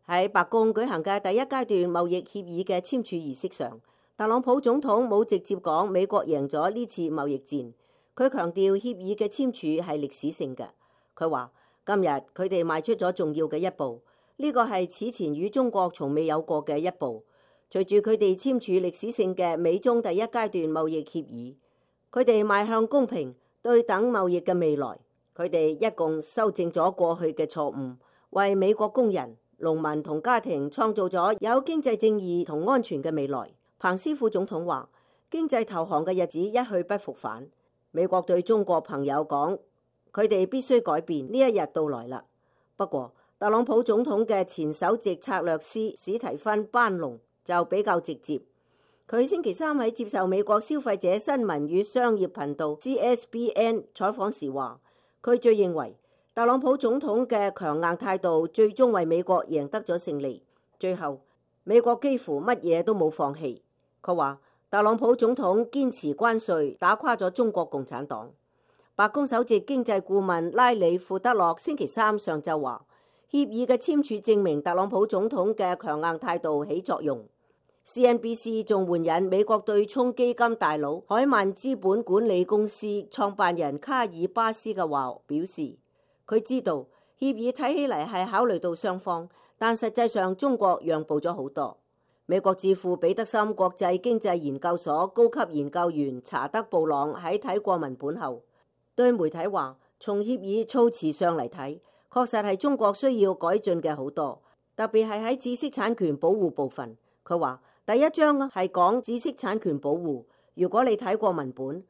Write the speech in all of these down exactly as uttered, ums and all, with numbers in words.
喺白宮舉行嘅第一階段貿易協議嘅簽署儀式上，特朗普總統冇直接講美國贏咗呢次貿易戰，佢強調協議嘅簽署係歷史性嘅。佢話今日佢哋邁出咗重要嘅一步，呢個係此前與中國從未有過嘅一步。隨住佢哋簽署歷史性嘅美中第一階段貿易協議，佢哋邁向公平對等貿易嘅未來。佢哋一共修正咗過去嘅錯誤，為美國工人、農民同家庭創造咗有經濟正義同安全嘅未來。彭斯副總統話，經濟投降嘅日子一去不復返。美國對中國朋友講，佢哋必須改變，呢一日到來啦。不過，特朗普總統嘅前首席策略師史提芬班農就比較直接。佢星期三喺接受美國消費者新聞與商業頻道 C S B N 採訪時話，佢最認為特朗普總統嘅強硬態度最終為美國贏得咗勝利。最後，美國幾乎乜嘢都冇放棄。佢話特朗普總統堅持關稅，打垮咗中國共產黨。白宮首席經濟顧問拉里庫德洛星期三上晝話，協議嘅簽署證明特朗普總統嘅強硬態度起作用。C N B C 仲援引美國對沖基金大佬海曼資本管理公司創辦人卡爾巴斯嘅話，表示佢知道協議睇起嚟係考慮到雙方，但實際上中國讓步咗好多。美國智庫彼得森國際經濟研究所高級研究員查德布朗喺睇過文本後，對媒體話，從協議措辭上嚟睇，確實係中國需要改進嘅好多，特別係喺知識產權保護部分。佢話第一章係講知識產權保護，如果你睇過文本，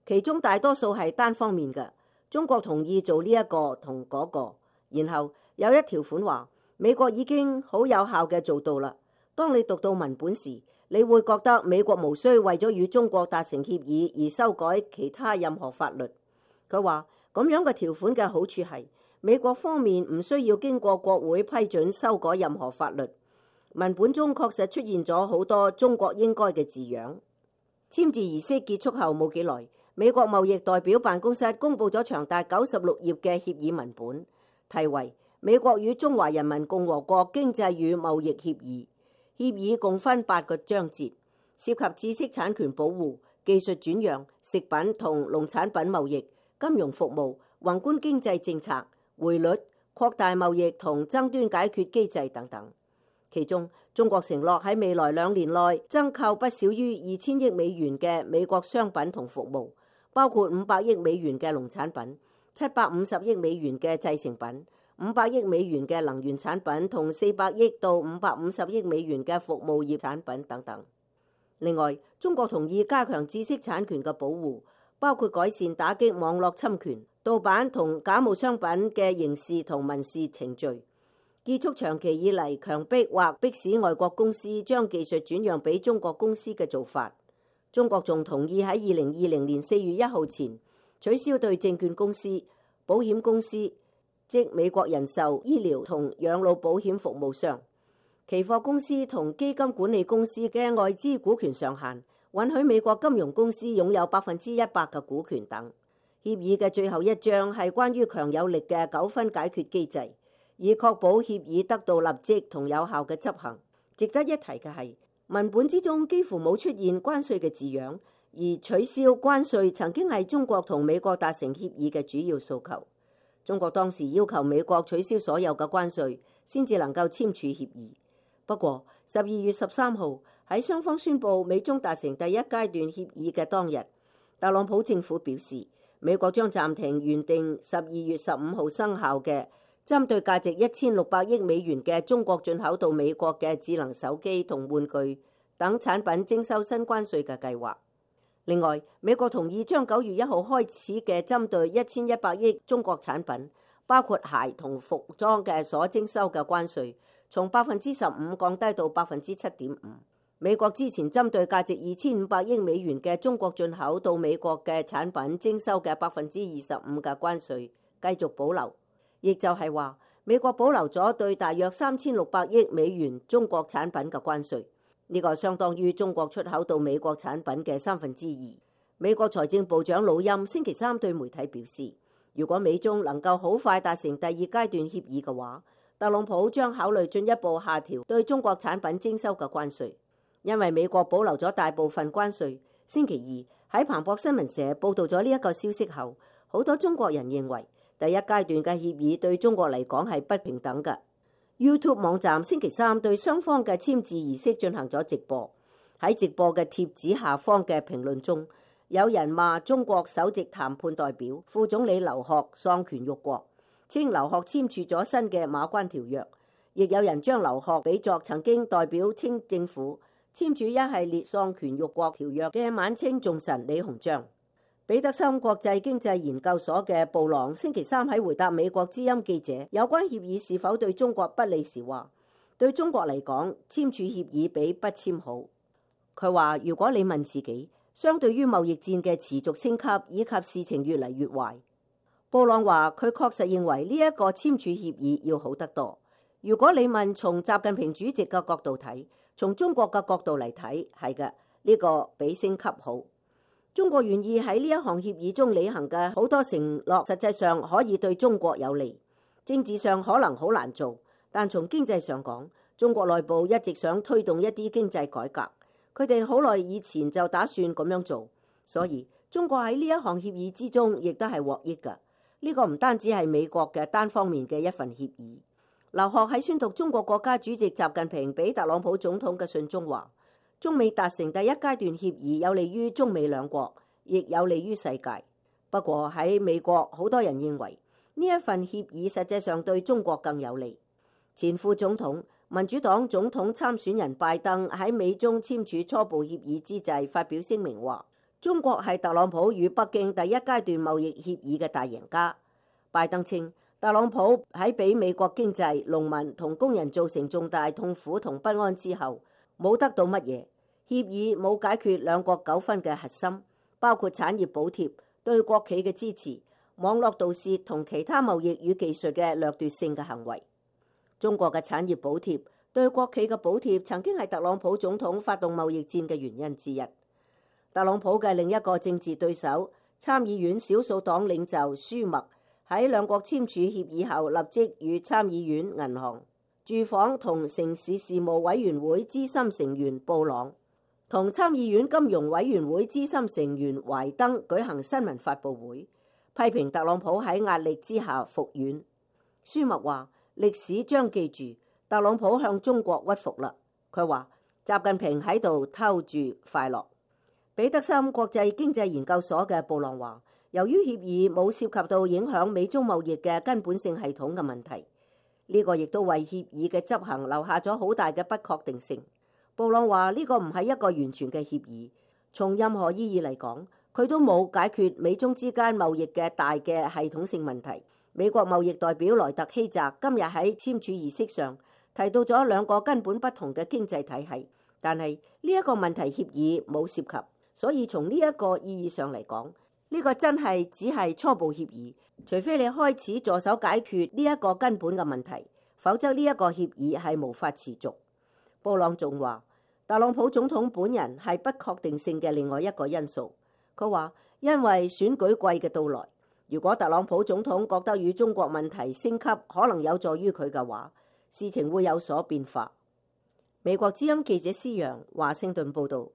其中大多數係單方面嘅，中國同意做呢一個同嗰個，然後有一條款話美國已經好有效嘅做到啦。當你讀到文本時，你會覺得美國無需為咗與中國達成協議而修改其他任何法律。佢話咁樣嘅條款嘅好處係美國方面唔需要經過國會批准修改任何法律。文本中確實出現咗好多中國應該嘅字樣。簽字儀式結束後冇幾耐，美國貿易代表辦公室公佈咗長達九十六頁嘅協議文本，題為《美國與中華人民共和國經濟與貿易協議》。協議共分八個章節，涉及知識產權保護、技術轉讓、食品同農產品貿易、金融服務、宏觀經濟政策、匯率、擴大貿易同爭端解決機制等等。其中，中國承諾喺未來兩年內增購不少於二千億美元嘅美國商品同服務，包括五百億美元嘅農產品、七百五十億美元嘅製成品、五百億美元嘅能源產品同四百億到五百五十億美元嘅服務業產品等等。另外，中國同意加強知識產權嘅保護，包括改善打擊網絡侵權、盜版同假冒商品嘅刑事同民事程序，結束長期以嚟強迫或迫使外國公司將技術轉讓俾中國公司嘅做法。中國仲同意喺二零二零年四月一號前取消對證券公司、保險公司，即美國人壽、醫療同養老保險服務商、期貨公司同基金管理公司嘅外資股權上限，允許美國金融公司擁有百分之一百嘅股權等。協議嘅最後一章係關於強有力嘅糾紛解決機制，以確保協議得到立即同有效嘅執行。值得一提嘅係，文本之中幾乎冇出現關稅嘅字樣，而取消關稅曾經係中國同美國達成協議嘅主要訴求。中國當時要求美國取消所有嘅關稅，先至能夠簽署協議。不過，十二月十三號喺雙方宣布美中達成第一階段協議嘅當日，特朗普政府表示，美國將暫停原定十二月十五號生效嘅針對價值一千六百億美元嘅中國進口到美國嘅智能手機同玩具等產品徵收新關稅嘅計劃。另外，美國同意將九月一號開始嘅針對一千一百億中國產品，包括鞋同服裝嘅所徵收嘅關稅，從百分之十五降低到百分之七點五。美國之前針對價值二千五百億美元嘅中國進口到美國嘅產品徵收嘅百分之二十五嘅關稅繼續保留，亦就係話美國保留咗對大約三千六百億美元中國產品嘅關稅。呢個相當於中國出口到美國產品嘅三分之二。美國財政部長魯欽星期三對媒體表示，如果美中能夠好快達成第二階段協議嘅話，特朗普將考慮進一步下調對中國產品徵收嘅關稅，因為美國保留咗大部分關稅。星期二喺彭博新聞社報道咗呢一個消息後，好多中國人認為第一階段嘅協議對中國嚟講係不平等嘅。YouTube 網站星期三對雙方嘅簽字儀式進行咗直播，喺直播嘅貼紙下方嘅評論中，有人罵中國首席談判代表副總理劉鶴喪權辱國，稱劉鶴簽署咗新嘅馬關條約，亦有人將劉鶴比作曾經代表清政府簽署一系列喪權辱國條約嘅晚清重臣李鴻章。彼得森國際經濟研究所嘅布朗星期三喺回答美國之音記者有關協議是否對中國不利時話，對中國嚟講，簽署協議比不簽好。佢話如果你問自己，相對於貿易戰嘅持續升級以及事情越嚟越壞，布朗話佢確實認為呢一個簽署協議要好得多。如果你問從習近平主席嘅角度睇，從中國嘅角度嚟睇，係嘅，呢個比升級好。中國願意喺呢一項協議中履行嘅好多承諾，實際上可以對中國有利。政治上可能好難做，但從經濟上講，中國內部一直想推動一啲經濟改革，佢哋好耐以前就打算咁樣做，所以中國喺呢一項協議之中亦都係獲益㗎。呢個唔單止係美國嘅單方面嘅一份協議。劉鶴喺宣讀中國國家主席習近平俾特朗普總統嘅信中話，中美達成第一階段協議有利於中美兩國，亦有利於世界。不過喺美國，好多人認為呢一份協議實際上對中國更有利。前副總統民主黨總統參選人拜登喺美中簽署初步協議之際發表聲明話，中國係特朗普與北京第一階段貿易協議嘅大贏家。拜登稱，特朗普喺俾美國經濟、農民同工人造成重大痛苦同不安之後，冇得到乜嘢。協議冇解決兩國糾紛嘅核心，包括產業補貼、對國企嘅支持、網絡盜竊同其他貿易與技術嘅掠奪性嘅行為。中國嘅產業補貼、對國企嘅補貼曾經係特朗普總統發動貿易戰嘅原因之一。特朗普嘅另一個政治對手參議院少數黨領袖舒默喺兩國簽署協議後，立即與參議院銀行、住房同城市事務委員會資深成員布朗同參議院金融委員會資深成員懷登舉行新聞發佈會，批評特朗普喺壓力之下服軟。舒默話，歷史將記住特朗普向中國屈服啦。佢話習近平喺度偷住快樂。彼得森國際經濟研究所嘅布朗話，由於協議冇涉及到影響美中貿易嘅根本性系統嘅問題，呢個亦都為協議嘅執行留下咗好大嘅不確定性。布朗話呢個唔係一個完全嘅協議，從任何意義嚟講，佢都冇解決美中之間貿易嘅大嘅系統性問題。美國貿易代表萊特希澤今日喺簽署儀式上提到咗兩個根本不同嘅經濟體系，但係呢一個問題協議冇涉及，所以從呢一個意義上嚟講，呢個真係只係初步協議，除非你開始助手解決呢一個根本嘅問題，否則呢一個協議係無法持續。布朗仲話，特朗普總統本人係不確定性嘅另外一個因素。佢話，因為選舉季嘅到來，如果特朗普總統覺得與中國問題升級可能有助於佢嘅話，事情會有所變化。美國之音記者施揚華盛頓報導。